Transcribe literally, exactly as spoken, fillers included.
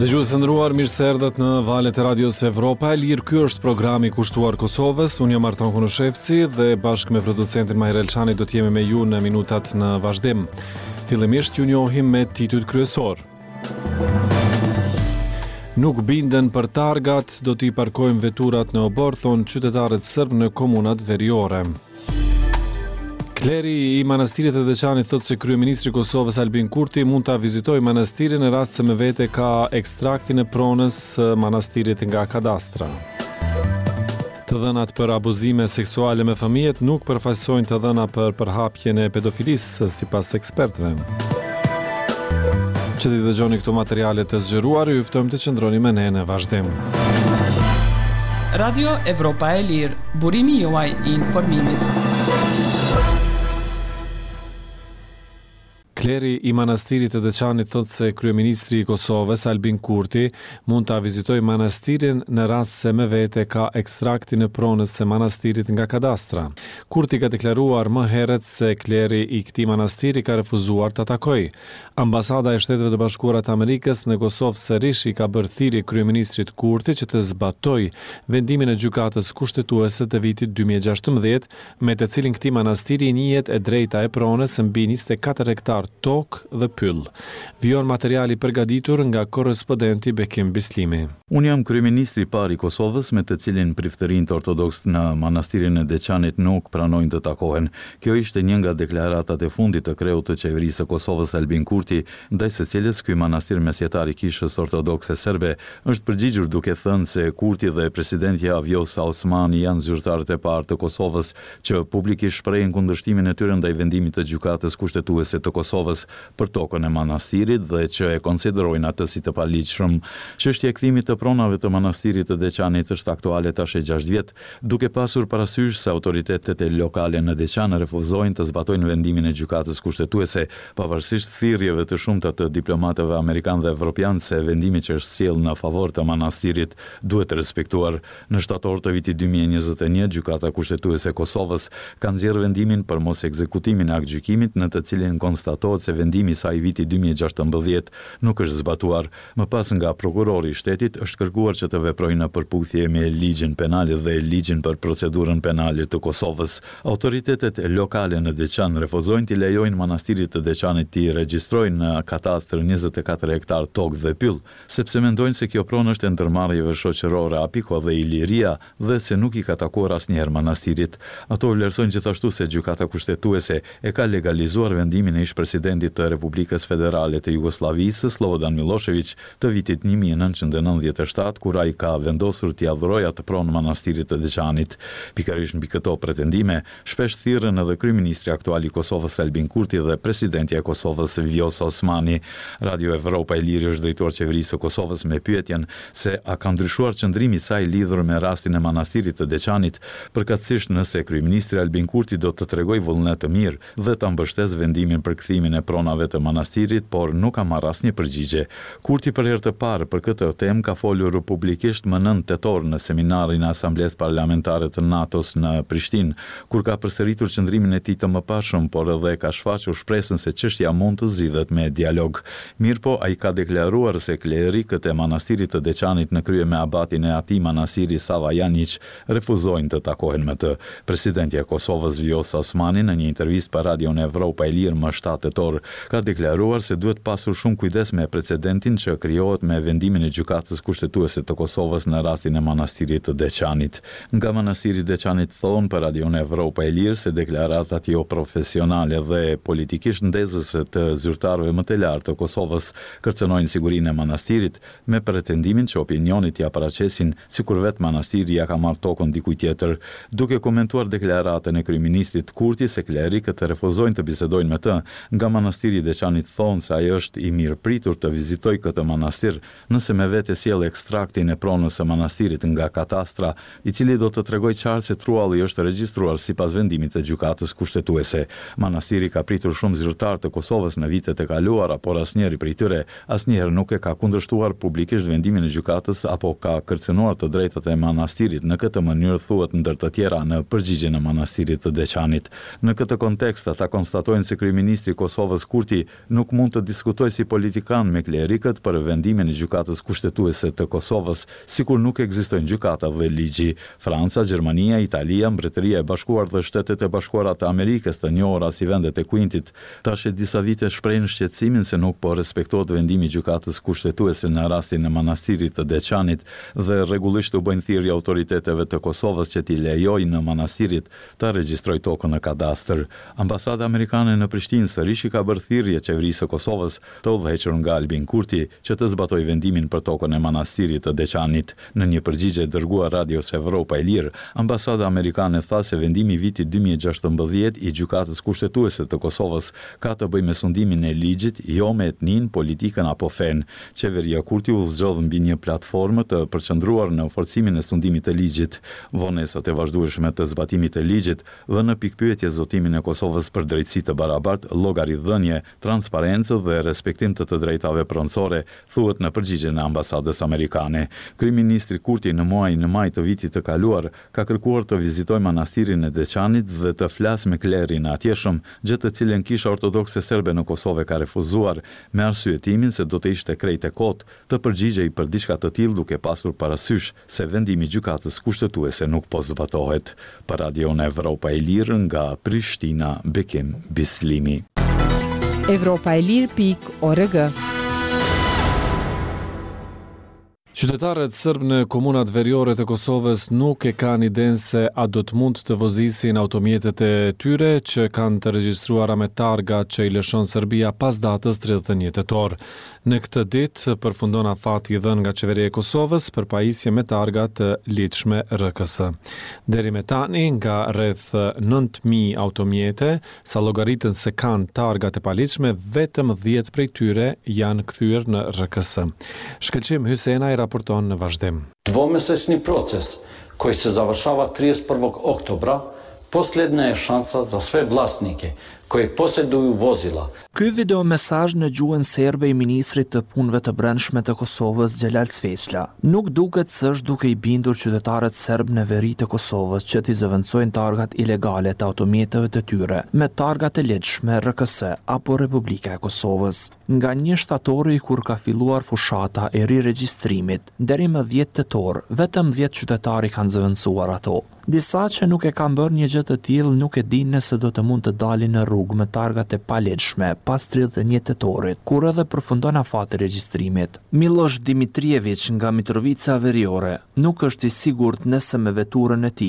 Dëgjues të nderuar, mirë se erdhët në valët e Radios Evropa e Lirë. Ky është programi kushtuar Kosovës. Unë jam Artan Konushevci dhe bashkë me producentin Mahir Elshani do të jemi me ju në minutat në vazhdim. Fillimisht ju njohim me titujt kryesor. Nuk binden për targat, do t'i parkojmë veturat në oborr, thonë qytetarët sërb në komunat veriore. Kleri i Manastirit të Deçanit thotë se kryeministri i Kosovës Albin Kurti mund ta vizitojë manastirin në rast se me vete ka ekstraktin e pronës së manastirit nga kadastra. Të dhënat për abuzime seksuale me fëmijët nuk përfaqësojnë të dhëna për përhapjen e pedofilisë, sipas ekspertëve. Që t'i dëgjoni këto materiale të zgjeruar, ju ftojmë të qëndroni me ne në vazhdim. Radio Evropa e Lirë, burimi juaj i informimit. Kleri i Manastirit të Deçanit thotë se kryeministri i Kosovës, Albin Kurti, mund ta vizitojë manastirin në rast se me vete ka ekstraktin e pronës së manastirit nga kadastra. Kurti ka deklaruar më herët se kleri i këtij manastiri ka refuzuar ta takojë. Ambasada e Shteteve të Bashkuara të Amerikës në Kosovë sërish i ka bërë thirrje kryeministrit Kurti që të zbatojë vendimin e Gjykatës Kushtetuese të vitit dy mijë e gjashtëmbëdhjetë, me të cilin këtij manastiri i njihet e drejta e pronës mbi njëzet e katër hektar tokë dhe pyll. Vijon materiali përgatitur nga korrespondenti Bekim Bislimi. Unë jam kryeministri i parë i Kosovës me të cilin priftërinjtë ortodoks në manastirin e Deçanit nuk pranojnë të takohen. Kjo ishte një nga deklaratat e fundit të kreut të qeverisë së Kosovës Albin Kurti, ndaj së cilës ky manastir mesjetar i Kishës Ortodokse Serbe është përgjigjur duke thënë se Kurti dhe presidentja Vjosa Osmani janë zyrtarët e parë të Kosovës që publikisht shprehin kundërshtimin e tyre ndaj vendimit të Gjykatës Kushtetuese të Kosovës për tokën e manastirit dhe që e konsiderojnë atë si të paligjshëm. Çështja e kthimit të pronave të manastirit të Deçanit është aktuale tash e gjashtë vjet, duke pasur parasysh se autoritetet lokale në Deçan refuzojnë të zbatojnë vendimin e Gjykatës Kushtetuese, pavarësisht thirrjeve të shumta të diplomatëve amerikanë dhe evropianë se vendimi që është sjellë në favor të manastirit duhet respektuar. Në shtator të vitit dy mijë e njëzet e një, Gjykata Kushtetuese e Kosovës ka nxjerrë vendimin për mos ekzekutimin e aktgjykimit, në të cilin konstatohet se vendimi i saj i vitit dy mijë e gjashtëmbëdhjetë nuk është zbatuar. Më pas nga prokurori i shtetit është kërkuar që të veprojë në përputhje me ligjin penal dhe ligjin për procedurën penale të Kosovës. Autoritetet lokale në Deçan refuzojnë t'i lejojnë manastirit të Deçanit t'i regjistrojnë në katastër njëzet e katër hektar tokë dhe pyll, sepse mendojnë se kjo pronë është e ndërmarrjeve shoqërore Apiko dhe Iliria dhe se nuk i ka takuar asnjëherë manastirit. Ato vlerësojnë gjithashtu se Gjykata Kushtetuese e ka legalizuar vendimin e ish-presidentit të Republikës Federale të Jugosllavisë, Slobodan Milošević, të vitit një mijë e nëntëqind e nëntëdhjetë e shtatë, kur ai ka vendosur t'i adhurojë atë pronë manastirit të Deçanit. Pikërisht mbi këto pretendime, shpesh thirrën edhe kryeministri aktual i Kosovës Albin Kurti dhe presidentja e Kosovës Vjosa Osmani. Radio Evropa e Lirë është drejtuar qeverisë së Kosovës me pyetjen se a ka ndryshuar qëndrimi i saj lidhur me rastin e manastirit të Deçanit, përkatësisht nëse kryeministri Albin Kurti do të tregojë vullnet të mirë dhe ta mbështesë vendimin për kthimin e pronave të manastirit, por nuk ka marrë asnjë përgjigje. Kurti për herë të parë për këtë temë ka folur publikisht më nëntë tetor në seminarin e Asamblesë Parlamentare të NATO-s në Prishtinë, kur ka përsëritur qëndrimin e tij të mëparshëm, por edhe ka shfaqur shpresën se çështja mund të zgjidhet me dialog. Mirëpo, ai ka deklaruar se klerikët e manastirit të Deçanit në krye me abatin e atij manastiri Sava Janjiq refuzojnë të takohen me të. Presidentja e Kosovës Vjosa Osmani në një intervistë për Radion Evropa e Lirë më shtatë tetor ka deklaruar se duhet pasur shumë kujdes me precedentin që krijohet me vendimin e Gjykatës Kushtetuese të Kosovës në rastin e manastirit të Deçanit. Nga manastiri i Deçanit thonë për Radion Evropa e Lirë se deklaratat jo profesionale dhe politikisht ndezëse të zyrtarëve më të lartë të Kosovës kërcënojnë sigurinë e manastirit, me pretendimin që opinionit ja paraqesin sikur vetë manastiri ja ka marrë tokën dikujt tjetër. Duke komentuar deklaratën e kryeministrit Kurti se klerikët refuzojnë të bisedojnë me të, Nga manastiri i Deçanit thonë se ai është i mirëpritur të vizitojë këtë manastir nëse me vete sjell ekstraktin e pronës së manastirit nga katastra, i cili do të tregojë qartë se trualli është regjistruar sipas vendimit të Gjykatës Kushtetuese. Manastiri ka pritur shumë zyrtarë të Kosovës në vitet e kaluara, por asnjëri prej tyre asnjëherë nuk e ka kundërshtuar publikisht vendimin e gjykatës apo ka kërcënuar të drejtat e manastirit në këtë mënyrë, thuhet ndër të tjera në përgjigjen e manastirit të Deçanit. Në këtë kontekst, ata konstatojnë se kryeministri i Kosovës Kurti nuk mund të diskutojë si politikan me klerikët për vendimin e Gjykatës Kushtetuese të Kosovës, sikur nuk ekzistojnë gjykata dhe ligji. Franca, Gjermania, Italia, Mbretëria e Bashkuar dhe Shtetet e Bashkuara të Amerikës, të njohura si vendet e Quintit, tash e disa vite shprehin shqetësimin se nuk po respektohet vendimi i Gjykatës Kushtetuese në rastin e Manastirit të Deçanit dhe rregullisht u bëjnë thirrje autoriteteve të Kosovës që t'i lejojnë manastirit ta regjistrojë tokën në kadastër. Ambasada amerikane në Prishtinë sërish i ka bërë thirrje qeverisë së Kosovës, të udhëhequr nga Albin Kurti, që të zbatojë vendimin për tokën e Manastirit të Deçanit. Në një përgjigje dërguar Radios Evropa e Lirë, ambasada amerikane tha se vendimi i vitit dy mijë e gjashtëmbëdhjetë i Gjykatës Kushtetuese të Kosovës ka të bëjë me sundimin e ligjit, jo me etninë, politikën apo fenë. Qeveria Kurti u zgjodh mbi një platformë të përqendruar në forcimin e sundimit të ligjit. Vonesat e vazhdueshme të zbatimit të ligjit vënë në pikëpyetje zotimin e Kosovës për drejtësi të barabartë, llogaridhënie, transparencë dhe respektim të të drejtave pronësore, thuhet në përgjigjen e ambasadës amerikane. Kryeministri Kurti në muajin maj të vitit të kaluar ka kërkuar të vizitojë manastirin e Deçanit dhe të flasë me klerin e atjeshëm, gjë të cilën Kisha Ortodokse Serbe në Kosovë e ka refuzuar, me arsyetimin se do të ishte krejt e kotë të përgjigjej për diçka të tillë duke pasur parasysh se vendimi i Gjykatës Kushtetuese nuk po zbatohet. Për Radion Evropa e Lirë nga Prishtina, Bekim Bislimi. Evropa e Lirë pikë org. Qytetarët sërbë në komunat veriore të Kosovës nuk e kanë idenë se a do të mund të vozisin automjetet e tyre që kanë të regjistruara me targa që i lëshon Serbia pas datës tridhjetë e një tetor. Në këtë ditë përfundon afati i dhënë nga Qeveria e Kosovës për pajisje me targa të ligjshme R K S. Deri me tani, nga rreth nëntë mijë automjete, sa llogaritën se kanë targa të paligjshme, vetëm dhjetë prej tyre janë kthyer në R K S. Shkëlqim Hysenaj raporton në vazhdim. Dvomesečni proces koji se završava trideset prvog oktobra posljednja je šansa za sve vlasnike koji posjeduju vozila. Ky video mesazh në gjuhën serbe i ministrit të Punëve të Brendshme të Kosovës, Xhelal Sveçla, nuk duket se është duke i bindur qytetarët serb në veri të Kosovës që t'i zëvendësojnë targat ilegale të automjeteve të tyre me targa të ligjshme R K S apo Republika e Kosovës. Nga një shtatori kur ka filluar fushata e riregjistrimit, deri më dhjetë tetor, vetëm dhjetë qytetarë i kanë zëvendësuar ato. Disa që nuk e kanë bërë një gjë të tillë nuk e dinë nëse do të mund të dalin në rrugë me targat e paligjshme pas tridhjetë e një tetorit, kur edhe përfundon afati i regjistrimit. Milosh Dimitrijević nga Mitrovica Veriore nuk është i sigurt nëse me veturën e tij